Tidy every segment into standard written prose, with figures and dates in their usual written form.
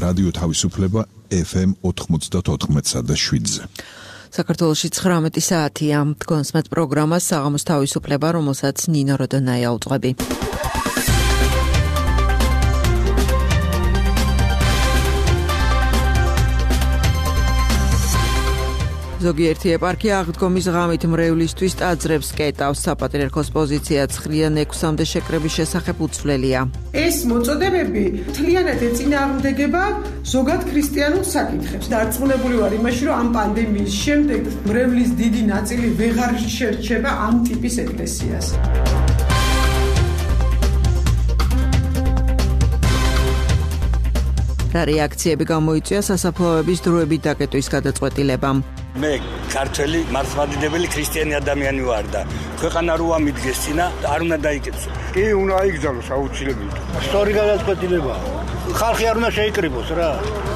რადიო თავისუფლება FM 94.7-ზე. საქართველოში 19 საათია. თქვენს მეტ პროგრამას საღამოს თავისუფლება, რომელსაც ნინო როდონაია უძღვები. ზოგიერთი ეპარქია აღდგომის ღამით მრევლისთვის ტაძრებს კეტავს. საპატრიარქოს პოზიცია ცხრიან 6-მდე შეკრების შესახებ უცვლელია. ეს მოწოდებები მთლიანად ეწინააღმდეგება ზოგად ქრისტიანულ საკითხებს. დარწმუნებული ვარ იმაში, რომ ამ პანდემიის შემდეგ მრევლის დიდი ნაწილი ვეღარ შერჩება ამ ტიპის ეკლესიას. რა რეაქციები გამოიწვია სასაფლაოების დროებით დაკეტვის გადაწყვეტილებამ? მე ქართველი მართლმადიდებელი ქრისტიანი ადამიანი ვარ და ქვეყანა რო ამიდგეს წინა არ უნდა დაიკეთოს. კი, უნდა აიგზავნოს აუცილებლად. სწორი გადაწყვეტილებაა. ხალხი არ უნდა შეიკრიბოს რა.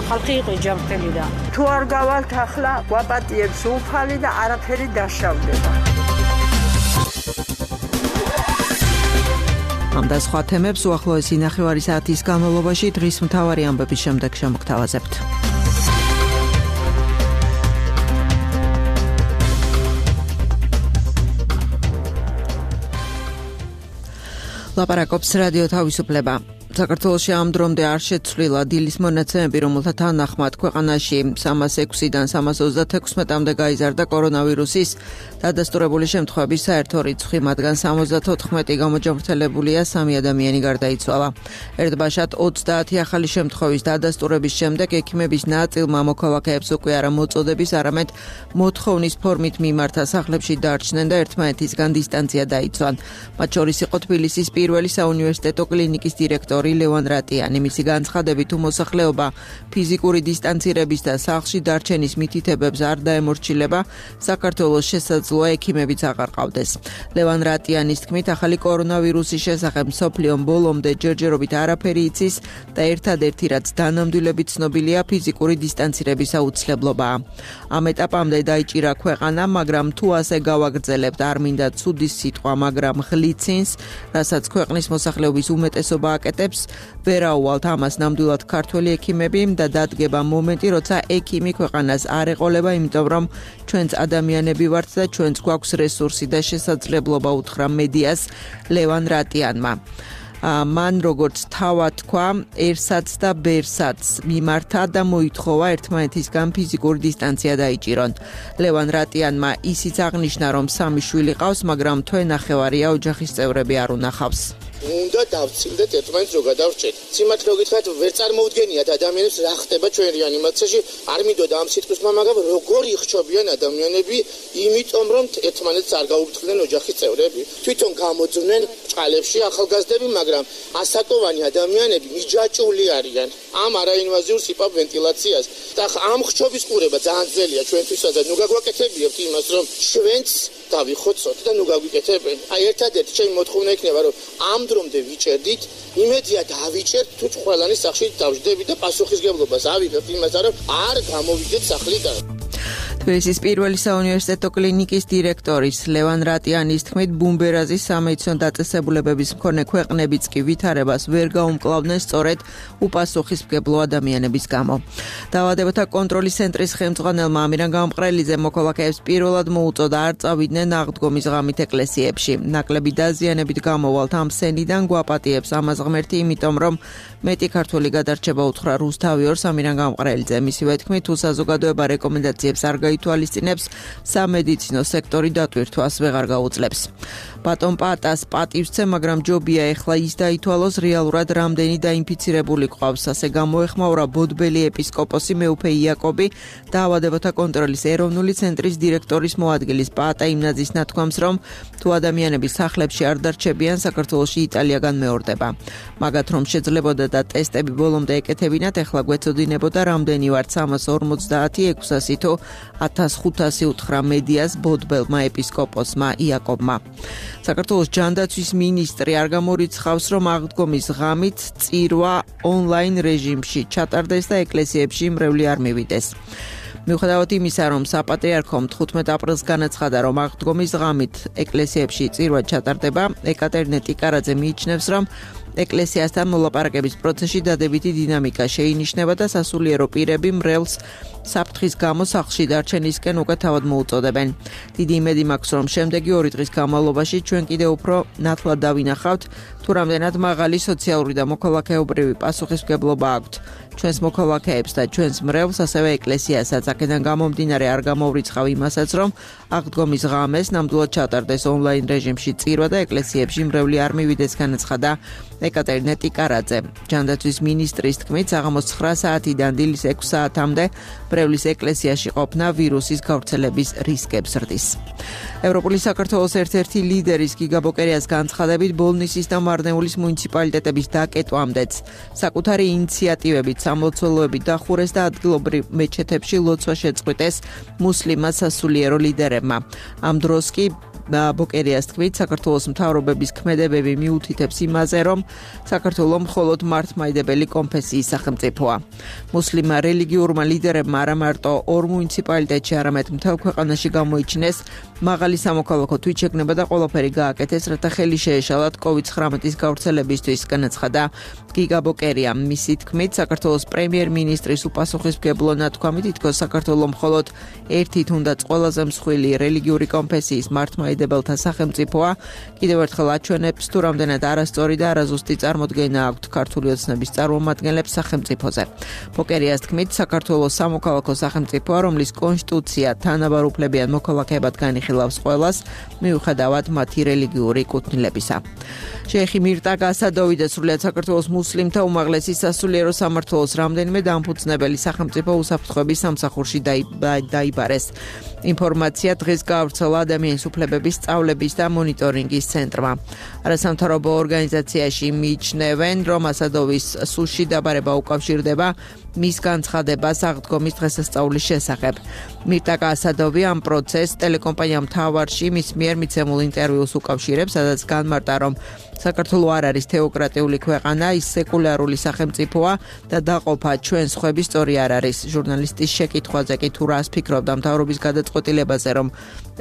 ხალხი იყო ჯანმრთელი და თუ არ გავალთ ახლა გვაპატიებს უფალი და არაფერი დაშავდება. ამ და სხვა თემებს უახლოესი ნახევარი საათის განმავლობაში დღის მთავარი ამბების შემდეგ შემოგთავაზებთ. ლაპარაკობს რადიო თავისუფლება. საქართველოში ამ დრომდე არ შეცვლილა დილის მონაცემები, რომელთა თანახმად ქვეყანაში 306-დან 336-მდე გაიზარდა კორონავირუსის დადასტურებული შემთხვევების საერთო რიცხვი, მათგან 74 გამოჯანმრთელებულია, 3 ადამიანი გარდაიცვალა. ერთბაშად 30 ახალი შემთხვევის დადასტურების შემდეგ ექიმების ნაწილმა მოქალაქეებს უკვე არა მოწოდების, არამედ მოთხოვნის ფორმით მიმართა სახლებში დარჩნენ და ერთმანეთისგან დისტანცია დაიცვან. მათ შორის იყო თბილისის პირველი საუნივერსიტეტო კლინიკის დირექტორი ლევან რატიანი. მისი განცხადებით, თუ მოსახლეობა ფიზიკური დისტანცირების და სახლში დარჩენის მითითებებს არ დაემორჩილება, საქართველოს შესაძლოა ექიმებიც აღარ ყავდეს. ლევან რატიანის თქმით, ახალი კორონავირუსის შესახებ მსოფლიომ ბოლომდე ჯერჯერობით არაფერი იცის და ერთადერთი რაც დანამდვილებით ცნობილია ფიზიკური დისტანცირების აუცილებლობაა. ამ ეტაპამდე დაიჭირა ქვეყანა, მაგრამ თუ ასე გავაგრძელებთ, არ მინდა ცუდის სიტყვა, მაგრამ ღლიცინს, რასაც ქვეყნის მოსახლეობის უმეტესობა აკეთებს, ვერაუვალთ ამას ნამდვილად ქართველი ექიმები და დადგება მომენტი, როცა ექიმი ქვეყანას არ ეყოლება, იმიტომ რომ ჩვენც ადამიანები ვართ და ჩვენც გვაქვს რესურსი და შესაძლებლობა, უთხრა მედიას ლევან რატიანმა. მან როგორც თავად თქვა,ერსაც და ბერსაც მიმართა და მოითხოვა ერთმანეთისგან ფიზიკური დისტანცია დაიჭირონ. ლევან რატიანმა ისიც აღნიშნა, რომ 3 შვილი ყავს, მაგრამ თვენახევარია ოჯახის წევრები არ უნახავს. უნდა დავცილდეთ ერთმანეთს რო გადავრჩეთ. სიმართლე გითხრათ, ვერ წარმოუდგენიათ ადამიანებს რა ხდება ჩვენ რეანიმაციაში. არ მინდოდა ამ სიტყვის მაგრამ როგორ იხჩობიან ადამიანები, იმიტომ რომ ერთმანეთს არ გაუფრთხილდნენ ოჯახის წევრები. თვითონ გამოძვნენ ჭყალებში ახალგაზრდები, მაგრამ ასაკოვანი ადამიანები მიჯაჭვული არიან. ამ არაინვაზიურ სიპაპ ვენტილაციას და ამ ხჩობის ყურება ძალიან ძნელია ჩვენთვისაც და ნუ გაგვაკეთებიათ იმას, რომ ჩვენც დავიხოცოთ და ნუ გაგვიკეთებენ. აი ერთადერთი ჩემი მოთხოვნა იქნება, რომ ამ დრომდე ვიჭერდით, იმედია დავიჭერთ, თუ ყველანი სახში დავждდებით და პასუხისგებლობას ავიღებთ იმას, რომ არ გამოვიდეთ სახლიდან. თბილისის პირველი საუნივერსიტეტო კლინიკის დირექტორის ლევან რატიანის თქმით, ბუმბერაზის სამედიცინო დაწესებულებების მქონე ქვეყნებიც კი ვითარებას ვერ გაუმკლავდნენ სწორედ უპასუხისმგებლო ადამიანების გამო. დაავადებათა კონტროლის ცენტრის ხელმძღვანელმა ამირან გამყრელიძემ მოქალაქეებს პირველად მოუწოდა არ წავიდნენ აღდგომის ღამით ეკლესიებში. ნაკლები დაზიანებით გამოვალთ ამ სენიდან გვაპატიებს ამას ღმერთი, იმიტომ რომ მეტი ქართველი გადარჩება, უთხრა რუსთავი ორს ამირან გამყრელიძე. მისივე თქმით, თუ საზოგადოება რეკომენდაციებს არ გაითვალისწინებს, სამედიცინო სექტორი დატვირთვას ვეღარ გაუძლებს. ბატონ პატას პატივსცემ, მაგრამ ჯობია ეხლა ის დაითვალოს რეალურად რამდენი დაინფიცირებული ყავს. ასე გამოეხმაურა ბოდბელი ეპისკოპოსი მეუფე იაკობი, დაავადებათა კონტროლის ეროვნული ცენტრის დირექტორის მოადგილის პატა იმნაძის ნათქვამს, რომ თუ ადამიანები სახლებში არ დარჩებიან, საქართველოში იტალიაგან მეორდება. მაგათ რომ შეძლებოდა და ტესტები ბოლომდე ეკეთებინათ, ეხლა გვეცოდინებოდა რამდენი ვართ 350, 600 თუ 1500 უთხრა მედიას ბოდბელმა ეპისკოპოსმა იაკობმა. საქართველოს ჯანდაცვის მინისტრი არ გამორიცხავს, რომ აღდგომის ღამით წირვა ონლაინ რეჟიმში ჩატარდეს და ეკლესიებში მრევლი არ მივიდეს. მიუხედავად იმისა, რომ საპატრიარქომ 15 აპრილს განაცხადა, რომ აღდგომის ღამით ეკლესიებში წირვა ჩატარდება, ეკატერინე ტიკარაძე მიიჩნევს, რომ ეკლესიასთან მოლაპარაკების პროცესში დადებითი დინამიკა შეინიშნება და სასულიერო პირები მრევლს საფრთხის გამო სახლში დარჩენისკენ უკვე თავად მოუწოდებენ. დიდი იმედი მაქვს, რომ შემდეგი 2 დღის განმავლობაში ჩვენ კიდევ უფრო ნათლად დავინახავთ, თუ რამდენად მაღალი სოციალური და მოქალაქეობრივი პასუხისმგებლობა აქვთ ჩვენს მოქალაქეებს და ჩვენს მრევლს, ასევე ეკლესიასაც. აქედან გამომდინარე არ გამოვრიცხავ იმასაც, რომ აღდგომის ღამეს ნამდვილად ჩატარდეს ონლაინ რეჟიმში წირვა და ეკლესიებში მრევლი არ მივიდეს, განაცხადა ეკატერინე ტიკარაძე. ჯანდაცვის მინისტრის თქმით, საღამოს 9 საათიდან დილის 6 საათამდე მრევლის ეკლესიაში ყოფნა ვირუსის გავრცელების რისკებს ზრდის. ევროპული საქართველოს ერთ-ერთი ლიდერის გიგა ბოკერიას განცხადებით, ბოლნისის და მარნეულის მუნიციპალიტეტების დაკეტვამდეც საკუთარი ინიციატივებით სამლოცველოები დახურეს და ადგილობრივ მეჩეთებში ლოცვა შეწყვიტეს მუსლიმად სასულიერო ლიდერებმა. ამ დროს კი ბოკერიას თქმით, საქართველოს მთავრობების ქმედებები მიუთითებს იმაზე, რომ საქართველო მხოლოდ მართლმადიდებელი კონფესიის სახელმწიფოა. მუსლიმ რელიგიურმა ლიდერებმა არა მარტო 2 მუნიციპალიტეტში, არამედ მთელ ქვეყანაში გამოიჩინეს მაღალი სამოქალაქო თვითშეგნება და ყველაფერი გააკეთეს, რათა ხელი შეეშალათ COVID-19 გავრცელებისთვის, განაცხადა გიგა ბოკერია. მისი თქმით, საქართველოს პრემიერ-მინისტრის უპასუხისმგებლო ნათქვამით, თითქოს საქართველო მხოლოდ ერთი თუნდაც ყველაზე მსხვილი რელიგიური კონფესიის მართლმადიდებელთა სახელმწიფოა. კიდევ ერთხელ აჩვენებს, თუ რამდენად არასწორი და არაზუსტი წარმოდგენა აქვთ ქართული ოცნების წარმომადგენლებს სახელმწიფოზე. ბოკერიას თქმით, საქართველოს სამოქალაქო სახელმწიფოა, რომლის კონსტიტუცია თანაბარ უფლებიან მოქალაქეებად განიხილავს ყველას, მიუხედავად მათი რელიგიური კუთვნილებისა. შეიხი მირტაგა ასადოვი და სრულიად საქართველოს მუსლიმთა უმაღლესი სასულიერო სამმართველოს რამდენიმე დამფუძნებელი სახელმწიფო უსაფრთხოების სამსახურში დაიბარეს. ინფორმაცია დღეს გაავრცელა ადამიანის უფლებების სწავლების და მონიტორინგის ცენტრმა. არასამთავრობო ორგანიზაციაში მიიჩნევენ, რომ ასადოვის სულში დაბარება უკავშირდება მის განცხადებას აღდგომის დღესასწაულის შესახებ. მირტაკა ასადოვი ამ პროცესს ტელეკომპანია მთავარში მის მიერ მიცემულ ინტერვიუს უკავშირებს, სადაც განმარტა, რომ საქართველო არ არის თეოკრატიული ქვეყანა, ის სეკულარული სახელმწიფოა და დაყოფა ჩვენ სხვების სწორი არ არის. ჟურნალისტის შეკითხვაზე კი თუ რას ფიქრობდა მთავრობის გადაწყვეტილებაზე, რომ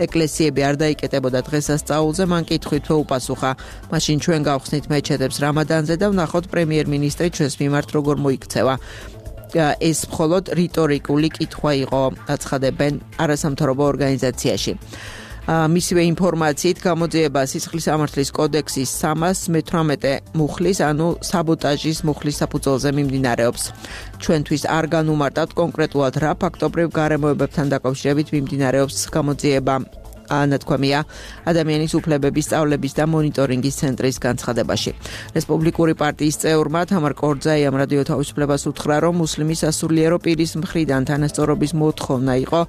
ეკლესიები არ დაიკეტებოდა დღესასწაულზე, მან კითხვით უპასუხა. მაშინ ჩვენ გავხსნით მეჩეთებს რამადანზე და ვნახოთ პრემიერ-მინისტრი ჩვენს მიმართ როგორ მოიქცევა. ეს მხოლოდ რიტორიკული კითხვა იყო, აცხადებენ არასამთავრობო ორგანიზაციაში. მისივე ინფორმაციით გამოძიება სისხლის სამართლის კოდექსის 318 მუხლის, ანუ საბოტაჟის მუხლის საფუძველზე მიმდინარეობს. ჩვენთვის არ განუმარტავთ კონკრეტულად რა ფაქტობრივ გარემოებებთან დაკავშირებით მიმდინარეობს გამოძიება. ანათქვამია ადამიანის უფლებების სწავლების და მონიტორინგის ცენტრის განცხადებაში. რესპუბლიკური პარტიის წევრმა თამარ კორძაიამ რადიო თავისუფლებას უთხრა, რომ მუსლიმი სასულიერო პირის მხრიდან თანასწორობის მოთხოვნა იყო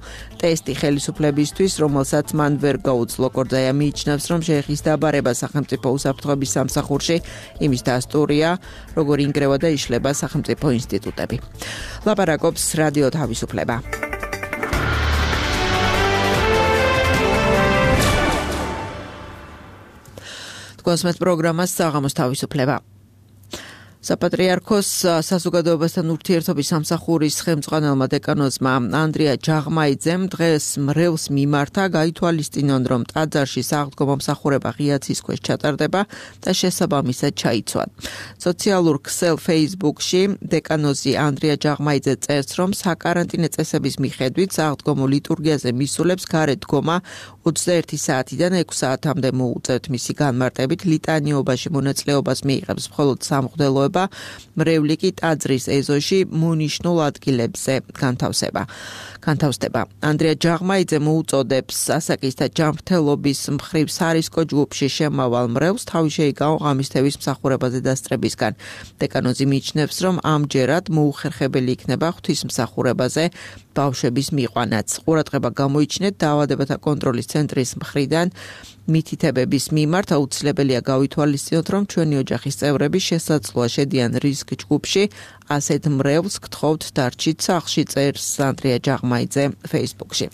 ტესტი ხელისუფლებისთვის, რომელსაც მან ვერ გაუძლო. კორძაია მიიჩნევს, რომ შეეხის დაბარება სახელმწიფო უსაფრთხოების სამსახურში იმის დასტურია, როგორ ინგრევა და იშლება სახელმწიფო ინსტიტუტები. ლაპარაკობს რადიო თავისუფლება. კონსმეთ პროგრამას საღამოს თავისუფლება. საპატრიარქოს საზოგადოებასთან ურთიერთობის სამსახურის ხელმძღვანელმა დეკანოზმა ანდრია ჯაღმაიძემ დღეს მრევლს მიმართა, გაითვალისწინონ, რომ ტაძარში სააღდგომო მსახურება ღია ცის ქვეშ ჩატარდება და შესაბამისად ჩაიცვან. სოციალურ ქსელ Facebook-ში დეკანოზი ანდრია ჯაღმაიძე წერს, რომ საკარანტინე წესების მიხედვით სააღდგომო ლიტურგიაზე მისულებს გარეთ დგომა 21 საათიდან 6 საათამდე მოუწევთ. მისი განმარტებით ლიტანიობაში მონაწილეობას მიიღებს მხოლოდ სამღვდელოება, მრევლი კი ტაძრის ეზოში მონიშნულ ადგილებზე განთავსდება. ანდრია ჯაღმაიძე მოუწოდებს ასაკის და ჯანმრთელობის მხრივ სარისკო ჯგუფში შემავალ მრევლს თავი შეიკავო ღამისთევის მსახურებაზე დასწრებისგან. დეკანოზი მიიჩნევს, რომ ამჯერად მოუხერხებელი იქნება ღვთისმსახურებაზე ბავშვების მიყვანაც. ყურადღება გამოიჩინეთ დაავადებათა კონტროლის ცენტრის მხრიდან მითითებების მიმართ აუცილებელია გავითვალისწინოთ, რომ ჩვენი ოჯახის წევრები შესაძლოა შედიან რისკ ჯგუფში, ასეთ მრევლს გთხოვთ დარჩით სახლში, წერს ანდრია ჯაღმაიძე Facebook-ში.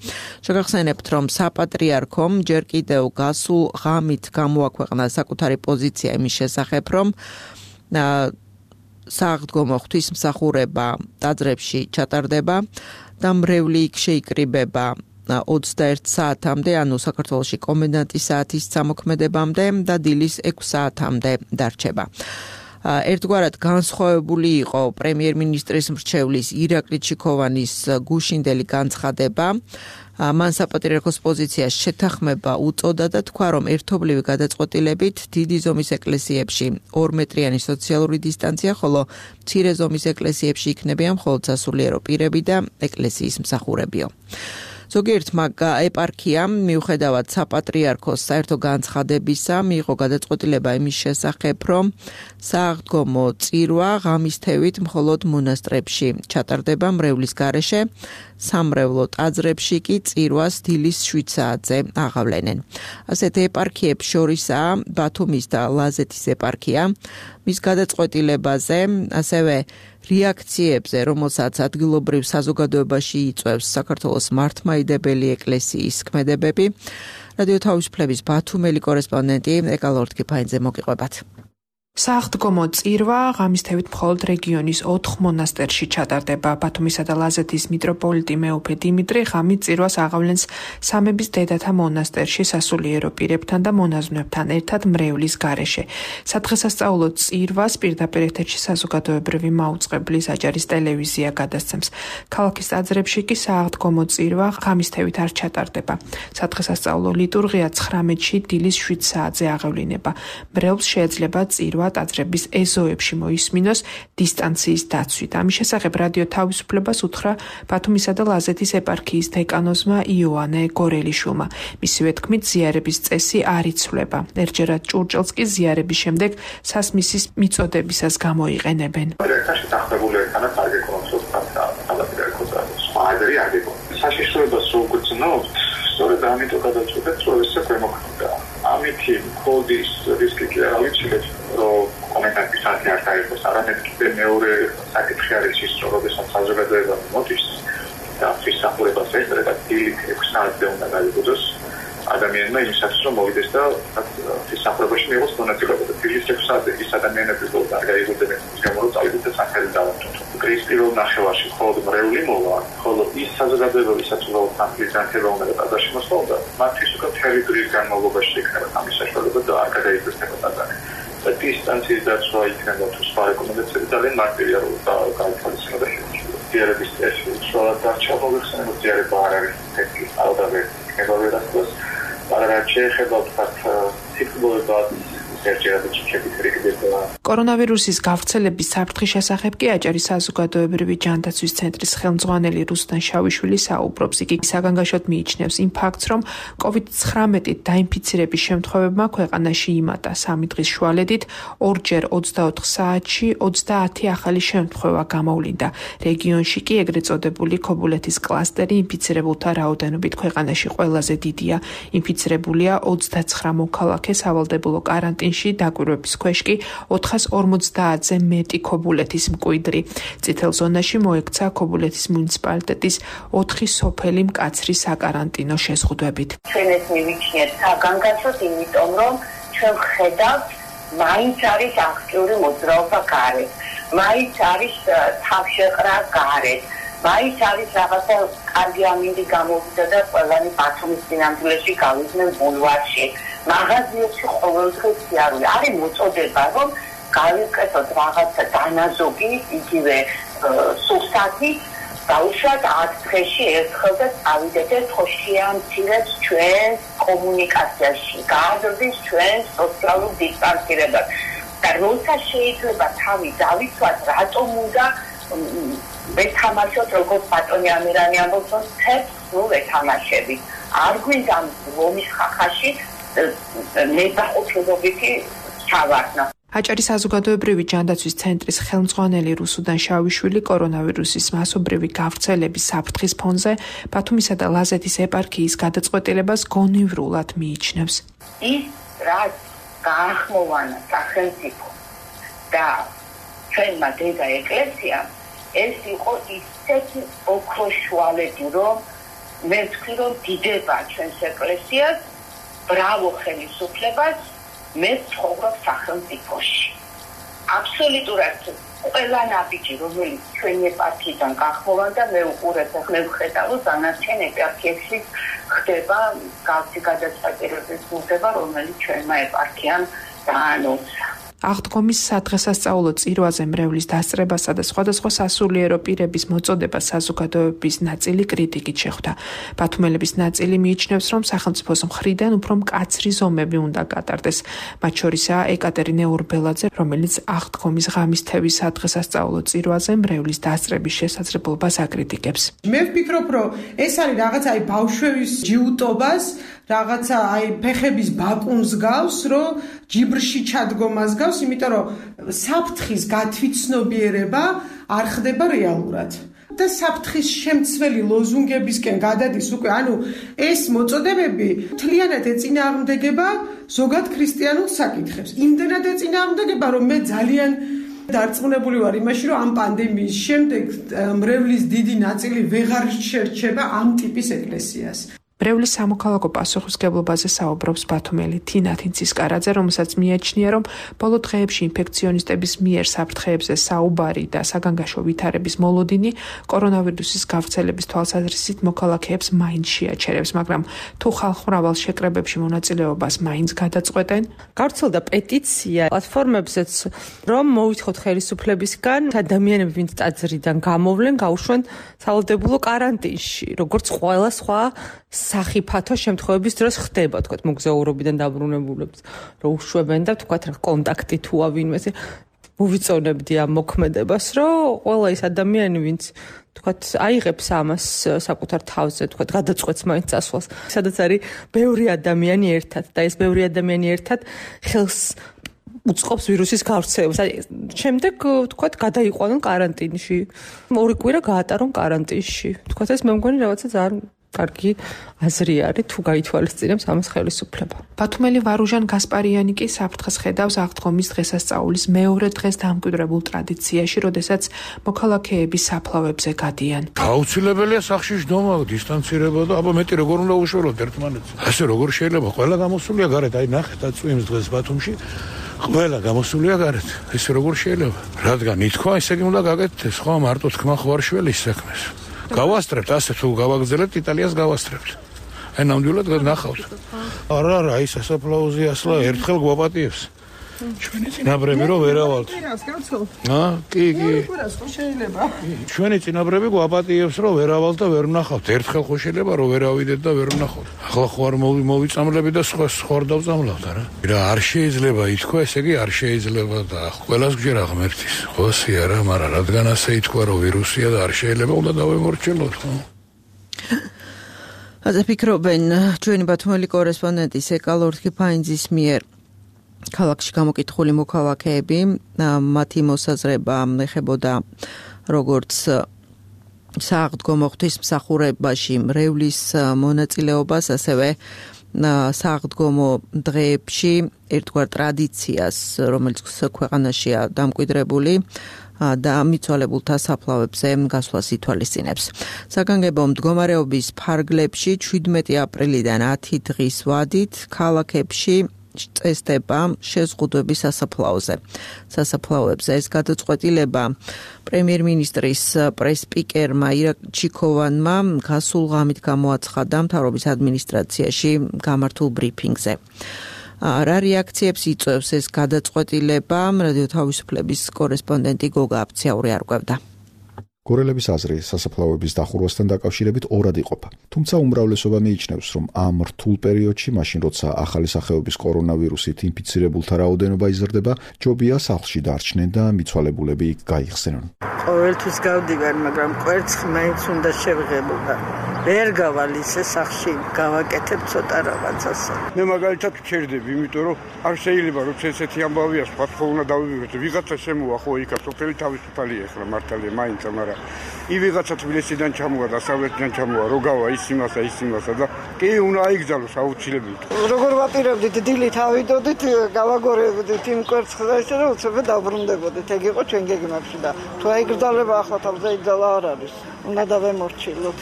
შეგახსენებთ, რომ საპატრიარქომ ჯერ კიდევ გასულ ღამით გამოაქვეყნა საკუთარი პოზიცია იმის შესახებ, რომ სააღდგომო ღვთისმსახურება ტაძრებში ჩატარდება და მრევლი იქ შეიკრიბება 21 საათამდე, ანუ საქართველოში კომენდანტის საათის წამოქმედებამდე და დილის 6 საათამდე დარჩება. ერთგვარად განსხვავებული იყო პრემიერ-მინისტრის მრჩევლის ირაკლი ჩიქოვანის გუშინდელი განცხადება. მან საპატრიარქოს პოზიციას შეთანხმება უწოდა და თქვა, რომ ერთობლივი გადაწყვეტილებით დიდი ზომის ეკლესიებში 2 მეტრიანი სოციალური დისტანცია, ხოლო მცირე ზომის ეკლესიებში იქნებიან მხოლოდ სასულიერო პირები და ეკლესიის მსახურებიო. ზოგიერთმა ეპარქიამ მიუხედავად საპატრიარქოს საერთო განცხადებისა მიიღო გადაწყვეტილება იმის შესახებ, რომ სააღდგომო წირვა ღამის თევით მხოლოდ მონასტრებში ჩატარდება მრევლის გარეშე, სამრევლო ტაძრებში კი წირვას დილის 7 საათზე აღავლენენ. ასეთ ეპარქიებს შორისაა ბათუმის და ლაზეთის ეპარქია. მის გადაწყვეტილებაზე, ასევე რეაქციებზე, რომელსაც ადგილობრივ საზოგადოებაში იწვევს საქართველოს მართლმადიდებელი ეკლესიის ქმედებები, რადიო თავისუფლების ბათუმელი კორესპონდენტი ეკალორთ კიფაინძე მოგიყვებათ. სააღდგომო წირვა ღამის თევით მხოლოდ რეგიონის 4 მონასტერში ჩატარდება. ბათუმისა და ლაზეთის მიტროპოლიტი მეუფე დიმიტრი ღამით წირვას აღავლენს სამების დედათა მონასტერში სასულიერო პირებთან და მონაზვნებთან ერთად მრევლის გარეშე. სადღესასწაულო წირვას პირდაპირ ეთერში საზოგადოებრივი მაუწყებლის აჯარის ტელევიზია გადასცემს. ქალაქის ტაძრებში კი სააღდგომო წირვა ღამის თევით არ ჩატარდება. სადღესასწაულო ლიტურგია 19-ში დილის 7 საათზე აღევლინება. მრევლს შეიძლება წირვა ტაძრების ეზოებში მოისმინოს დისტანციის დაცვით. ამის შესახებ რადიო თავისუფლებას უთხრა ბათუმისა და ლაზეთის ეპარქიის დეკანოზმა იოანე გორელიშვილმა. მისივე თქმით, ზიარების წესი არ იცვლება. ერთჯერად ჭურჭელს კი ზიარების შემდეგ სასმისის მიწოდებისას გამოიყენებენ. საშიშროებას უგრძნობთ, სწორედ ამიტომ გადაწყვეტეთ, რომ ესე ქვემოქმედა. ამითი კოდის რისკი კი არ ავიჩინეთ, რომ კომენტარის საათი არ დაიყოს, არამედ კიდე მეორე საკითხი არის ის, რომ როდესაც საზოგადოება მოდის და ფისახურებას ესწრება დილით 6 საათზე უნდა გაიგოს ადამიანმა იმისათვის, რომ მოვიდეს და ფისახურებაში მიიღოს მონაწილეობა. დილის 6 საათზე ის ადამიანები რომ არ გაიგოდნენ, ის გამო რომ წავიდეთ და სახელი დავამტოთ. კრის პირველ ნახევარში მხოლოდ მრევლი მოვა, ხოლო ის საზოგადოება, ვისაც უბრალოდ თანხის განხილვა უნდა და ტაძარში მოსვლოდა, მათთვის უკვე მთელი დღის განმავლობაში იქნება ამის საშუალება და არ გადაიგვესება ტაძარი. და დისტანციის დაცვა იქნება თუ სხვა რეკომენდაციები ძალიან მარტივია, რომ გაითვალისწინო და შეგვიძლია. ზიარების წესი უშუალოდ დარჩა მოიხსენებოდ ზიარება არ არის თეთრი ალდაბე იქნება ვერასდროს, მაგრამ შეეხება ვთქვათ სიტყვებად კორონავირუსის გავრცელების საფრთხის შესახებ კი აჭარის საზოგადოებრივი ჯანდაცვის ცენტრის ხელმძღვანელი რუსტან შავიშვილი საუბრობს. იგი საგანგაშოდ მიიჩნევს იმ ფაქტს, რომ COVID-19-ით დაინფიცირების შემთხვევებმა ქვეყანაში იმატა 3 დღის შუალედით, ორჯერ 24 საათში 30 ახალი შემთხვევა გამოვლინდა. რეგიონში კი ეგრეთ წოდებული ქობულეთის კლასტერი ინფიცირებულთა რაოდენობით ქვეყანაში ყველაზე დიდია. ინფიცირებულია 29 მოქალაქე, სავალდებულო კარანტინში დაკვირვების ქვეშ კი 450-ზე მეტი ქობულეთის მკვიდრი. წითელ ზონაში მოექცა ქობულეთის მუნიციპალიტეტის 4 სოფელი მკაცრი საკარანტინო შეზღუდვებით. ჩვენ ეს მივიჩნიეთ საგანგაშოდ, იმიტომ რომ ჩვენ ხედავთ, მაინც არის აქტიური მოძრაობა გარეთ, მაინც არის თავშეყრა გარეთ, მაინც არის რაღაცა კარგი ამინდი გამოვიდა და ყველანი ბათუმის წინამძღოლში გავიდნენ ბულვარში. მაღაზიებში ყოველდღე სიარული არის მოწოდება, რომ გავიკეთოთ რაღაცა დანაზოგი, იგივე სუსტათი, დაუშვათ 10 დღეში ერთხელ და წავიდეთ ხოშიანცირებს ჩვენ კომუნიკაციაში, გააზრდეს ჩვენ სოციალურ დისტანცირებას. და როცა შეიძლება თავი დავიცვათ, რატომ უნდა ვეთამაშოთ, როგორც ბატონი ამირანი ამბობს, თეთრ სულ ვეთამაშები. არ გვინდა ლომის ხახაში ნებაყოფლობითი ჩავარდნა. აჭარის საზოგადოებრივი ჯანდაცვის ცენტრის ხელმძღვანელი რუსუდან შავიშვილი კორონავირუსის მასობრივი გავრცელების საფრთხის ფონზე ბათუმისა და ლაზეთის ეპარქიის გადაწყვეტილებას გონივრულად მიიჩნევს. ის რაც გაახმოვანა სახელმწიფო და ჩვენმა დედა ეკლესიამ, ეს იყო ისეთი ოქროშუალედი, რომ მე ვთქვი, რომ დიდება ჩვენს ეკლესიას, ბრავო ხელისუფლებას, მე ცხოვრობ სახელმწიფოში. აბსოლუტურად ყველა ნაბიჯი, რომელიც ჩვენი ეპარქიიდან გაახმოვანდა, მე უყურებ და მე ვხედავ, რომ დანარჩენ ეპარქიებში ხდება გავსი გადაწყვეტილების მიღება, რომელიც ჩვენმა ეპარქიამ დაანონსა. აღდგომის სადღესასწაულო წირვაზე მრევლის დასწრებასა და სხვადასხვა სასულიერო პირების მოწოდება საზოგადოების ნაწილი კრიტიკით შეხვდა. ბათუმელების ნაწილი მიიჩნევს, რომ სახელმწიფოს მხრიდან უფრო მკაცრი ზომები უნდა გატარდეს. მათ შორისაა ეკატერინე ურბელაძე, რომელიც აღდგომის ღამისთების სადღესასწაულო წირვაზე მრევლის დასწრების შესაძლებლობას აკრიტიკებს. მე ვფიქრობ, რომ ეს არის რაღაცა ბავშვების ჯიუტობას, რაღაცა ფეხების ბაკუნს გავს, რომ ჯიბრში ჩადგომას გავს, იმიტომ რომ საფრთხის გათვითცნობიერება არ ხდება რეალურად. და საფრთხის შემცველი ლოზუნგებისკენ გადადის უკვე, ეს მოწოდებები მთლიანად ეწინააღმდეგება ზოგად ქრისტიანულ საკითხებს. იმდენად ეწინააღმდეგება, რომ მე ძალიან დარწმუნებული ვარ იმაში, რომ ამ პანდემიის შემდეგ მრევლის დიდი ნაწილი ვეღარ შერჩება ამ ტიპის ეკლესიას. მრევლის სამოქალაქო პასუხისმგებლობაზე საუბრობს ბათუმელი თინა თინცისკარაძე, რომელსაც მიაჩნია, რომ ბოლო დღეებში ინფექციონისტების მიერ საფრთხეებზე საუბარი და საგანგაშო ვითარების მოლოდინი კორონავირუსის გავრცელების თვალსაზრისით მოქალაქეებს მაინც შეაჩერებს, მაგრამ თუ ხალხმრავალ შეკრებებში მონაწილეობას მაინც გადაწყვეტენ. გავრცელდა პეტიცია პლატფორმებზეც, რომ მოვითხოვთ ხელისუფლებისგან ადამიანები, ვინც ტაძრიდან გამოვლენ, გაუშვენ სავალდებულო კარანტინში, როგორც ყველა სხვა სახიფათო შემთხვევების დროს ხდება, თქვათ, მოგზაურობიდან დაბრუნებულებს, რომ უშვებენ და თქვათ, კონტაქტი თუა ვინმეს მოვიწონებდი ამ მოქმედებას, რომ ყველა ის ადამიანი, ვინც თქვათ, აიღებს ამას საკუთარ თავზე, თქვათ, გადაწყვეტს მაინც წასვლას, სადაც არის ბევრი ადამიანი ერთად და ეს ბევრი ადამიანი ერთად ხელს უწყობს ვირუსის გავრცელებას. შემდეგ, თქვათ, გადაიყვანონ კარანტინში. 2 კვირა გაატარონ კარანტინში. თქვათ, ეს მე მგონი რაღაცა ძალიან კარგი აზრი არის, თუ გაითვალისწინებს ამას ხელისუფლება. ბათუმელი ვარუჟან გასპარიანი კი საფრთხეს ხედავს აღდგომის დღესასწაულის მეორე დღეს დამკვიდრებულ ტრადიციაში, როდესაც მოქალაქეები საფლავებზე გადიან. აუცილებელია სახლში ჯდომა, დისტანცირება და აბა მეტი როგორ უნდა უშველოთ ერთმანეთს. ასე როგორ შეიძლება? ყველა გამოსულია გარეთ, ნახეთ წვიმს დღეს ბათუმში. ყველა გამოსულია გარეთ. ესე როგორ შეიძლება? რადგან ითქვა, ესე იგი უნდა გაკეთდეს, ხო, მარტო თქმა ხო არ შველის საქმეს. გავასწრებთ, ასე თუ გავაგზავნებთ იტალიას გავასწრებთ. ნამდვილად ნახავთ. არა, ის სასაფლაოზე ასლა ერთხელ გვაპატიებს. ჩვენი წინაბრები რო ვერავალთ. კი. ჩვენი წინაბრები გვაპატიებს რო ვერავალთ და ვერ ვნახავთ. ერთხელ ხო შეიძლება რომ ვერავიდეთ და ვერ ვნახავთ. ახლა ხო არ მოვიწამლები და სხვა არ დავწამლავთ, არა? არ შეიძლება ითქვა, ესე იგი არ შეიძლება და ყველას გჯერა ღმერთის. ხოსი არა, მაგრამ რადგან ასე ითქვა რომ ვირუსია და არ შეიძლება უნდა დავემორჩილოთ, ხო? ასე ფიქრობენ ჩვენი ბათუმელი კორესპონდენტი სეკალორთი ფაინძის მიერ. ქალაქში გამოკითხული მოქალაქეები, მათი მოსაზრება ეხებოდა როგორც სააღდგომო ღვთისმსახურებაში მრევლის მონაწილეობას, ასევე სააღდგომო დღეებში ერთგვარ ტრადიციას, რომელიც ქვეყანაშია დამკვიდრებული და მიცვალებულთა საფლავებზე გასვლას ითვალისწინებს. საგანგებო მდგომარეობის ფარგლებში 17 აპრილიდან 10 დღის ვადით ქალაქებში წესდება შეზღუდვები სასაფლაოზე. სასაფლაოებზე ეს გადაწყვეტილება პრემიერ-მინისტრის პრეს-სპიკერმა ირაკ ჩიქოვანმა გასულ ღამით გამოაცხადა მთავრობის ადმინისტრაციაში გამართულ ბრიფინგზე. რა რეაქციებს იწვევს ეს გადაწყვეტილება? რადიო თავისუფლების კორესპონდენტი გოგა აფციური არკვევდა. გორელების აზრი სასაფლაოების დახურვასთან დაკავშირებით ორად იყოფა. თუმცა უმრავლესობა მიიჩნევს, რომ ამ რთულ პერიოდში, მაშინ როცა ახალი სახეობის კორონავირუსით ინფიცირებულთა რაოდენობა იზრდება, ჯობია სახლში დარჩნენ და მიცვალებულები იქ გაიხსენონ. ყოველთვის გავდივარ, მაგრამ კვერცხი მაინც უნდა შევღებოდა. ვერ გავალ ისე სახლში, გავაკეთებ ცოტა რაღაცას. მე მაგალითად ვჩერდები, იმიტომ რომ არ შეიძლება რომ ესეთი ამბავია, სხვა უნდა დავივიღოთ. ვიღაცა შემოვა ხო იქა, სოფელი თავისუფალია ახლა მართალია მაინც, მაგრამ ვიღაცა თბილისიდან ჩამოვა და დასავლეთიდან ჩამოვა, რო გავა ის იმასა და კი უნდა აიგზავნოს აუცილებლად. როგორ ვაპირებდით, დილით ავიდოდით, გავაგორებდით იმ კვერცხს და ისე რომ უცებ დაბრუნდებოდით. ეგ იყო ჩვენ გეგმებში და თუ აიგზავნება ახლა თავზე იგზალა არ არის. უნდა დავემორჩილოთ.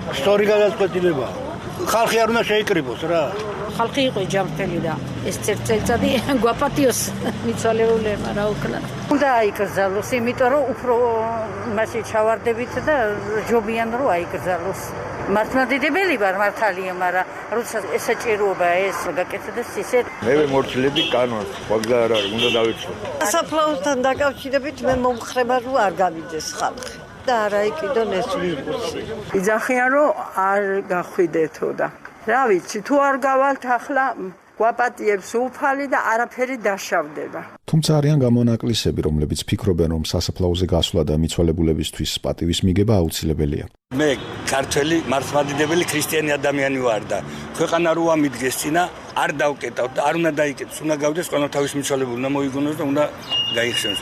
სწორი გადაწყვეტილებაა. ხალხი არ უნდა შეიკრიბოს რა. ხალხი იყო ჯანმრთელი და ეს წელიწადი გვაპატიოს მიცვალებულებმა რა უკნა. უნდა აიგზავნოს, იმიტომ რომ უფრო მასე ჩავარდებით და ჯობიან რომ აიგზავნოს. მართლმადიდებელი ვარ მართალია, მაგრამ როცა ესაჭიროება ეს გაკეთდეს ისე მე მორჩილები კანონს, ვაგზა არ არის, უნდა დავიცვა. სასაფლაოსთან დაკავშირებით მე მომხრება რომ არ გავიდეს ხალხი და არა იყიდონ ეს ვირუსი. იძახიან რომ არ გახვიდეთო და რა ვიცი, თუ არ გავალთ ახლა გვაპატიებს უფალი და არაფერი დაშავდება. თუმცა არიან გამონაკლისები, რომლებიც ფიქრობენ, რომ სასაფლაოზე გასვლა და მიცვალებულებისთვის პატივის მიგება აუცილებელია. მე ქართველი მართლმადიდებელი ქრისტიანი ადამიანი ვარ და ქვეყანა როა მიდგეს წინა არ დავკეტავ და არ უნდა დაიკეტოს, უნდა გავდეს ყველა თავის მიცვალებულს, უნდა მოიგონოს და უნდა გაიხსენოს.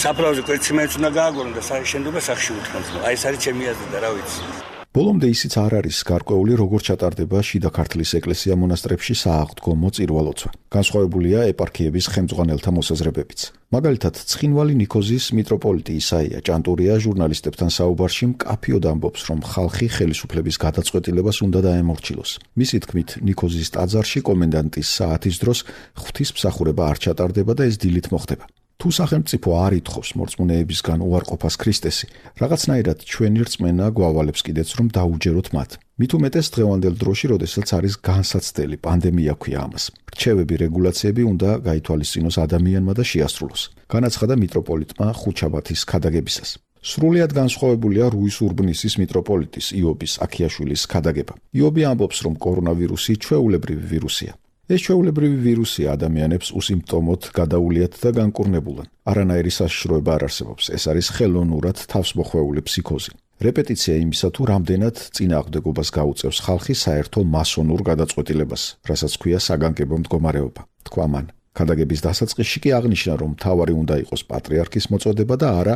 საფლავზე კვეთში მეც უნდა გააგონო და შენდობა სახში უთმოს. აი ეს არის ჩემი აზრი და რა ვიცი. ბოლომდე ისიც არ არის გარკვეული, როგორ ჩატარდება შიდა ქართლის ეკლესია მონასტრებში სააღდგომო წირვალოცვა. განსხვავებულია ეპარქიების ხელმძღვანელთა მოსაზრებებიც. მაგალითად, ცხინვალი ნიქოზის მიტროპოლიტი ისაია ჭანტურია ჟურნალისტებთან საუბარში მკაფიოდ ამბობს, რომ ხალხი ხელისუფლების გადაწყვეტილებას უნდა დაემორჩილოს. მისი თქმით, ნიქოზის ტაძარში კომენდანტის საათის დროს ღვთისმსახურება არ ჩატარდება და ეს დილით მოხდება. თუ სახელმწიფო არ ითხოვს მორწმუნეებისგან უარყოფას ქრისტესი, რაღაცნაირად ჩვენი რწმენა გვავალებს კიდეც, რომ დაუჯეროთ მათ. მით უმეტეს დღევანდელ დროში, როდესაც არის განსაცდელი პანდემია ქვია ამას. რჩევები, რეგულაციები უნდა გაითვალისწინოს ადამიანმა და შეასრულოს. განაცხადა მიტროპოლიტმა ხუჩაბათის ქადაგებისას. სრულიად განსხვავებულია რუის ურბნისის მიტროპოლიტის იობის აქიაშვილის ქადაგება. იობი ამბობს, რომ კორონავირუსი ჩვეულებრივი ვირუსია. ეს ჩვეულებრივი ვირუსი ადამიანებს უსიმპტომოდ გადაულიათ და განკურნებულან. არანაირი საშიშროება არ არსებობს. ეს არის ხელოვნურად თავსმოხვეული ფსიქოზი. რეპეტიცია იმისა, თუ რამდენად წინააღმდეგობას გაუწევს ხალხი საერთო მასონურ გადაწყვეტილებას, რასაც ქვია საგანგებო მდგომარეობა. თქვა მან. ქადაგების დასაწყისში კი აღნიშნა, რომ მთავარი უნდა იყოს პატრიარქის მოწოდება და არა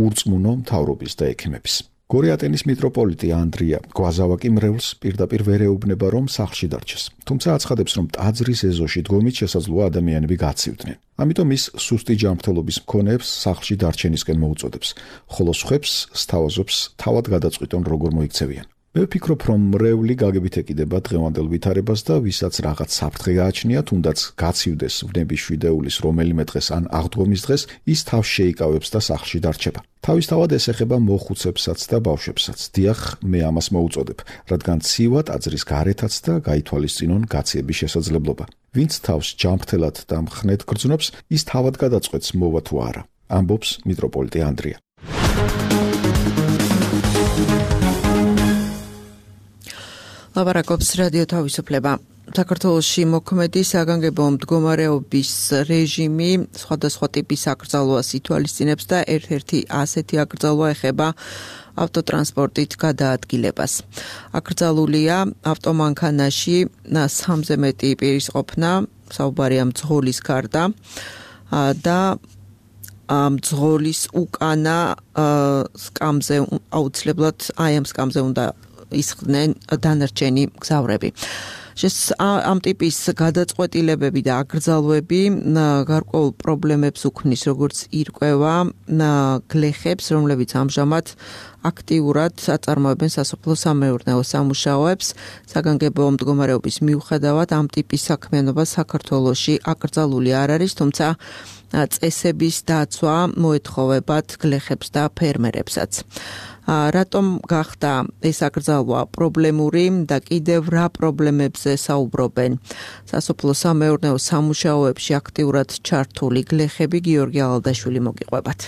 ურწმუნო მთავრობის და ექიმების. გორიატენის მიტროპოლიტი ანდრია გვაზავაკი მრევლს პირდაპირ ვერ ეუბნება, რომ სახლში დარჩეს. თუმცა აცხადებს, რომ ტაძრის ეზოში დგომით შესაძლოა ადამიანები გაცივდნენ. ამიტომ ის სუსტი ჯანმრთელობის მქონეებს სახლში დარჩენისკენ მოუწოდებს, ხოლო სხვებს სთავაზობს თავად გადაწყვიტონ როგორ მოიქცევიან. მე ვფიქრობ, რომ მრევლი გაგებით ეკიდება დღევანდელ ვითარებას და ვისაც რაღაც საფრთხე გააჩნია, თუნდაც გაცივდეს ვნების შვიდეულის რომელიმე დღეს ან აღდგომის დღეს, ის თავს შეიკავებს და სახლში დარჩება. თავისთავად ეს ეხება მოხუცებსაც და ბავშვებსაც. დიახ, მე ამას მოუწოდებ, რადგან ცივა ტაძრის გარეთაც და გაითვალისწინონ გაციების შესაძლებლობა. ვინც თავს ჯანმრთელად და მხნედ გრძნობს, ის თავად გადაწყვეტს მოვა თუ არა, ამბობს მიტროპოლიტი ანდრია. ლაპარაკობს რადიო თავისუფლება. საქართველოში მოქმედი საგანგებო მდგომარეობის რეჟიმი სხვადასხვა ტიპის აკრძალვას ითვალისწინებს და ერთ-ერთი ასეთი აკრძალვა ეხება ავტოტრანსპორტით გადაადგილებას. აკრძალულია ავტომანქანაში 3-ზე მეტი პირის ყოფნა, საუბარია მძღოლის გარდა და მძღოლის უკანა სკამზე აუცილებლად აი ამ სკამზე უნდა ისხდნენ დანარჩენი მგზავრები. ამ ტიპის გადაწყვეტილებები და აკრძალვები გარკვეულ პრობლემებს უქმნის, როგორც ირკვევა გლეხებს, რომლებიც ამჟამად აქტიურად აწარმოებენ სასოფლო-სამეურნეო სამუშაოებს. საგანგებო მდგომარეობის მიუხედავად ამ ტიპის საქმიანობა საქართველოში აკრძალული არ არის, თუმცა წესების დაცვა მოეთხოვებათ გლეხებს და ფერმერებსაც. რატომ გახდა ეს აკრძალვა პრობლემური და კიდევ რა პრობლემებზე საუბრობენ სასოფლო-სამეურნეო სამუშაოებში აქტიურად ჩართული გლეხები? გიორგი ალადაშვილი მოგიყვებათ.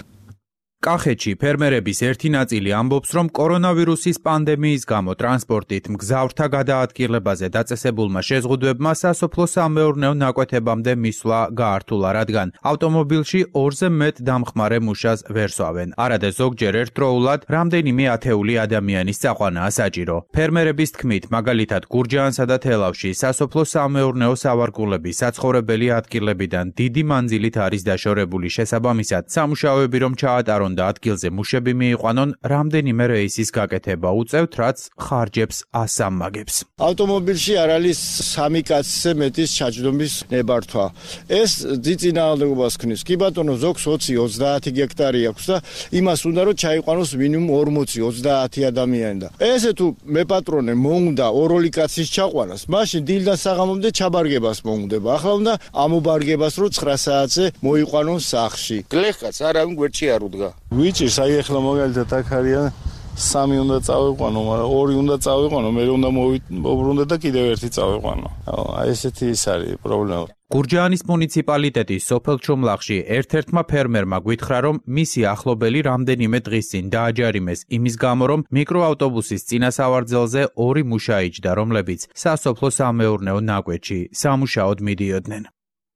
კახეთში ფერმერების ერთი ნაწილი ამბობს, რომ კორონავირუსის პანდემიის გამო ტრანსპორტით მგზავრთა გადაადგილებაზე დაწესებულმა შეზღუდვებმა სასოფლო-სამეურნეო ნაკვეთებამდე მისვლა გაართულა, რადგან ავტომობილში 2-ზე მეტ დამხმარე მუშას ვერ სვავენ. არადა ზოგჯერ ერთდროულად რამდენიმე ათეული ადამიანის წაყვანაა საჭირო. ფერმერების თქმით, მაგალითად გურჯაანსა და თელავში სასოფლო-სამეურნეო სავარგულების საცხოვრებელი ადგილებიდან დიდი მანძილით არის დაშორებული, შესაბამისად სამუშაოები რომ ჩაატარონ და ადგილზე მუშები მიიყვანონ, რამდენიმე რეისის გაკეთება უწევთ, რაც ხარჯებს ასამმაგებს. ავტომობილში არ არის 3 კაცზე მეტის ჩაჯდომის ნებართვა. ეს ძიწინააღმდეგობას ქმნის. კი ბატონო, ზოგს 20-30 გექტარი აქვს და იმას უნდა რომ ჩაიყვანოს მინიმუმ 40-30 ადამიანი და ესე თუ მე პატრონე მოუნდა ოროლი კაცის ჩაყვანას, მაშინ დილიდან საღამომდე ჩაბარგებას მოუნდება. ახლა უნდა ამობარგებას რომ 9 საათზე მოიყვანონ სახლში. გლეხაც არავინ გვერდში არ უდგა. ვიჭირს, აი ახლა მაგალითად აქ არიან 3 უნდა წავიყვანო, მაგრამ 2 უნდა წავიყვანო, მე უნდა მოვუბრუნდე და კიდევ 1 წავიყვანო. აი ესეთი ის არის პრობლემა. გურჯაანის მუნიციპალიტეტის სოფელ ჩუმლახში ერთ-ერთმა ფერმერმა გვითხრა, რომ მისი ახლობელი რამდენიმე დღის წინ დააჯარიმეს იმის გამო, რომ მიკროავტობუსის წინასავარძელზე 2 მუშა იჯდა, რომლებიც სასოფლო-სამეურნეო ნაკვეთში სამუშაოდ მიდიოდნენ.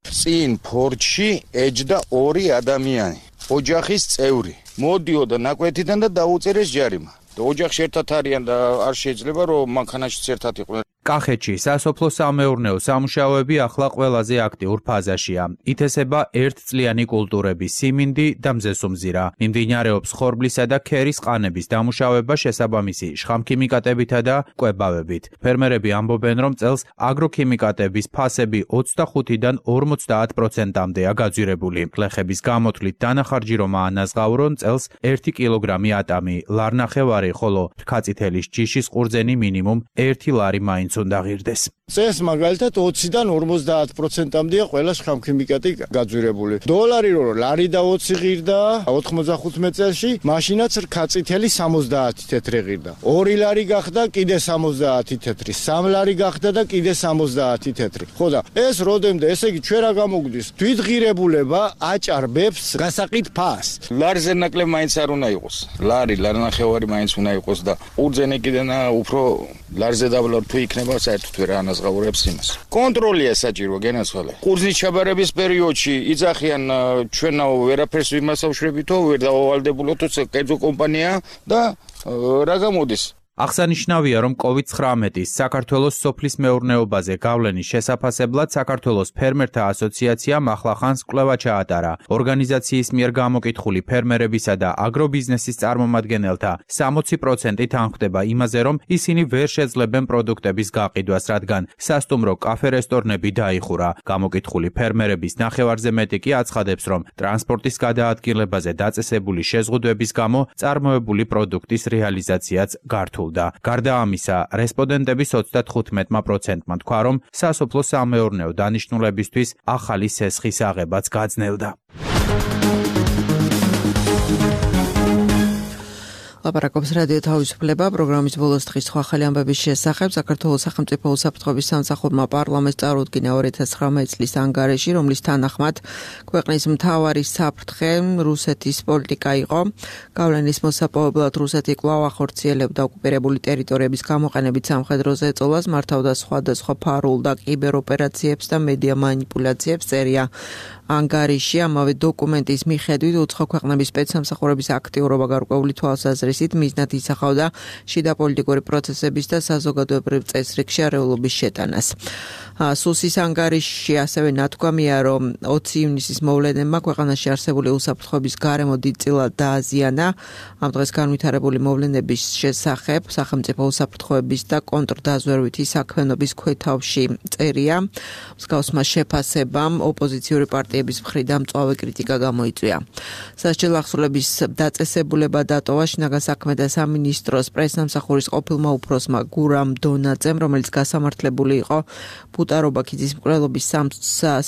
წინ ფორჩში ეჯდა 2 ადამიანი, ოჯახის წევრი. მოდიოდა ნაკვეთიდან და დაუწერეს ჯარიმა. ოჯახში ერთად არიან და არ შეიძლება რომ მანქანაშიც ერთად იყვნენ. კახეთში სასოფლო-სამეურნეო სამუშაოები ახლა ყველაზე აქტიურ ფაზაშია. ითესება ერთწლიანი კულტურების სიმინდი და მზესუმზირა. მიმდინარეობს ხორბლისა და ქერის ყანების დამუშავება შესაბამისი შხამქიმიკატებითა და კვებავებით. ფერმერები ამბობენ, რომ წელს აგროქიმიკატების ფასები 25-დან 50%-მდეა გაძვირებული. გლეხების გამოთვლით დანახარჯი რომ აანაზღაურონ წელს 1 კილოგრამი ატამი, ლარნახევარი, ხოლო რქაწითელის ჯიშის ყურძენი მინიმუმ 1 ლარი მაინც უნდა ღირდეს. წელს მაგალითად 20-დან 50%-მდეა ყველა შხამქიმიკატი გაძვირებული. დოლარი რო ლარი და 20 ღირდა 95 წელში, მაშინაც რქაწითელი 70 თეთრი ღირდა. 2 ლარი გახდა კიდე 70 თეთრი, 3 ლარი გახდა და კიდე 70 თეთრი. ხო და ეს როდემდე, ესე იგი ჩვენ რა გამოგვდის? თვითღირებულება აჭარბებს გასაყიდ ფას. ლარზე ნაკლებ მაინც არ უნდა იყოს. ლარნახევარი მაინც უნდა იყოს და ყურძენი კიდენა უფრო ლარზე დაბლა თუ იქნება საერთოდ ვერ ანაზღაურებს იმას. კონტროლია საჭირო გენაცვალე. ყურძნის ჩაბარების პერიოდში იძახიან ჩვენ ვერაფერს ვიმასავშრებითო, ვერ დავალდებულოთო კერძო კომპანია და რა გამოდის? აღსანიშნავია, რომ COVID-19-ის საქართველოს სოფლის მეურნეობაზე გავლენის შესაფასებლად საქართველოს ფერმერთა ასოციაციამ ახლახანს კვლევა ჩაატარა. ორგანიზაციის მიერ გამოკითხული ფერმერებისა და აგრობიზნესის წარმომადგენელთა 60% თანხმდება იმაზე, რომ ისინი ვერ შეძლებენ პროდუქტების გაყიდვას, რადგან სასტუმრო კაფე-რესტორნები დაიხურა. გამოკითხული ფერმერების ნახევარზე მეტი კი აცხადებს, რომ ტრანსპორტის გადაადგილებაზე დაწესებული შეზღუდვების გამო წარმოებული პროდუქტის რეალიზაციაც გართულ. გარდა ამისა, რესპონდენტების 35%-მა თქვა, რომ სასოფლო-სამეურნეო დანიშნულებისთვის ახალი სესხის აღებაც გაძნელდა. ლაპარაკობს რადიო თავისუფლება პროგრამის ბოლოს დღის სხვა ახალი ამბების შესახებ. საქართველოს სახელმწიფო უსაფრთხოების სამსახურმა პარლამენტს წარუდგინა 2019 წლის ანგარიში, რომლის თანახმად ქვეყნის მთავარი საფრთხე რუსეთის პოლიტიკა იყო. გავლენის მოსაპოვებლად რუსეთი კვლავ ახორციელებდა ოკუპირებული ტერიტორიების გამოყენებით სამხედრო ზეწოლას, მართავდა სხვადასხვა ფარულ და კიბეროპერაციებს და მედია მანიპულაციებს, წერია ანგარიში. ამავე დოკუმენტის მიხედვით უცხო ქვეყნების სპეცსამსახურების აქტიურობა გარკვეული თვალსაზრისით მიზნად ისახავდა შიდა პოლიტიკური პროცესების და საზოგადოებრივ წესრიგ შეარეულობის შეტანას. სუსის ანგარიში ასევე ნათქვამია, რომ 20 ივნისის მოვლენებმა ქვეყანაში არსებული უსაფრთხოების გარემო დიდწილად დააზიანა. ამ დღეს განვითარებული მოვლენების შესახებ სახელმწიფო უსაფრთხოების და კონტრდაზვერვითი საქმიანობის ქვეთავში წერია. მსგავსმა შეფასებამ ოპოზიციური პარტიების მხრიდან მწვავე კრიტიკა გამოიწვია. სასჯელ ახსულების დაწესებულება დატოვა შინაგან საქმეთა სამინისტროს პრესსამსახურის ყოფილმა უფროსმა გურამ დონაძემ, რომელიც გასამართლებული იყო ბუტარობაქიძის მკვლელობის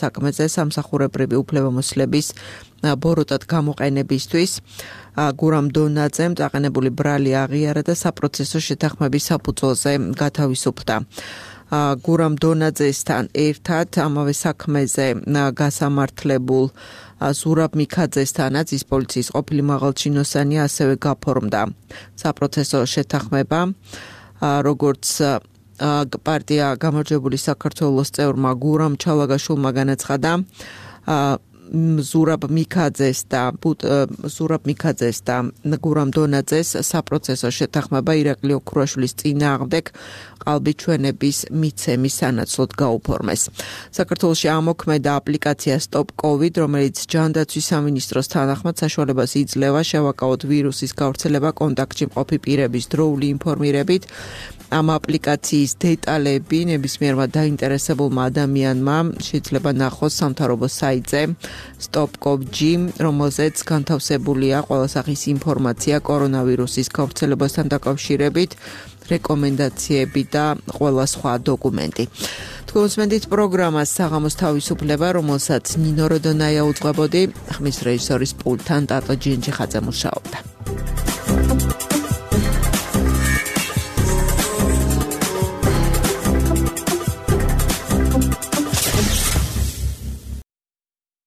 საქმეზე სამსახურებრივი უფლებამოსილების ბოროტად გამოყენებისთვის. გურამ დონაძემ დაყენებული ბრალი აღიარა და საპროცესო შეთანხმების საფუძველზე გათავისუფლდა. გურამ დონაძესთან ერთად ამავე საქმეზე გასამართლებულ ზურაბ მიქაძესთანაც ის პოლიციის ყოფილი მაღალჩინოსანი ასევე გაფორმდა საპროცესო შეთანხმება, როგორც პარტია გამარჯვებული საქართველოს წევრმა გურამ ჩალაგაშვილმა განაცხადა. ზურაბ მიქაძეს და გურამ დონაძეს საპროცესო შეთანხმება ირაკლი ოქროაშვილის წინააღმდეგ ყალბიჩვენების მიცემის სანაცვლოდ გაუფორმეს. საქართველოში ამოქმედა აპლიკაცია Stop COVID, რომელიც ჯანდაცვის სამინისტროს თანახმად საშუალებას იძლევა შევაკავოთ ვირუსის გავრცელება კონტაქტში მყოფი პირების დროული ინფორმირებით. ამ აპლიკაციის დეტალები ნებისმიერმა დაინტერესებულმა ადამიანმა შეიძლება ნახოს სამთავრობო საიტზე stop.gov.g, რომელზეც განთავსებულია ყველა სახის ინფორმაცია კორონავირუსის გავრცელებასთან დაკავშირებით, რეკომენდაციები და ყველა სხვა დოკუმენტი. თქვენს პროგრამას საღამოს თავისუფლება, რომელსაც ნინო როდონაია უძღვებოდი, ხმის რეჟისორის პულტთან ტატო ჯინჯიხაძე მუშაობდა.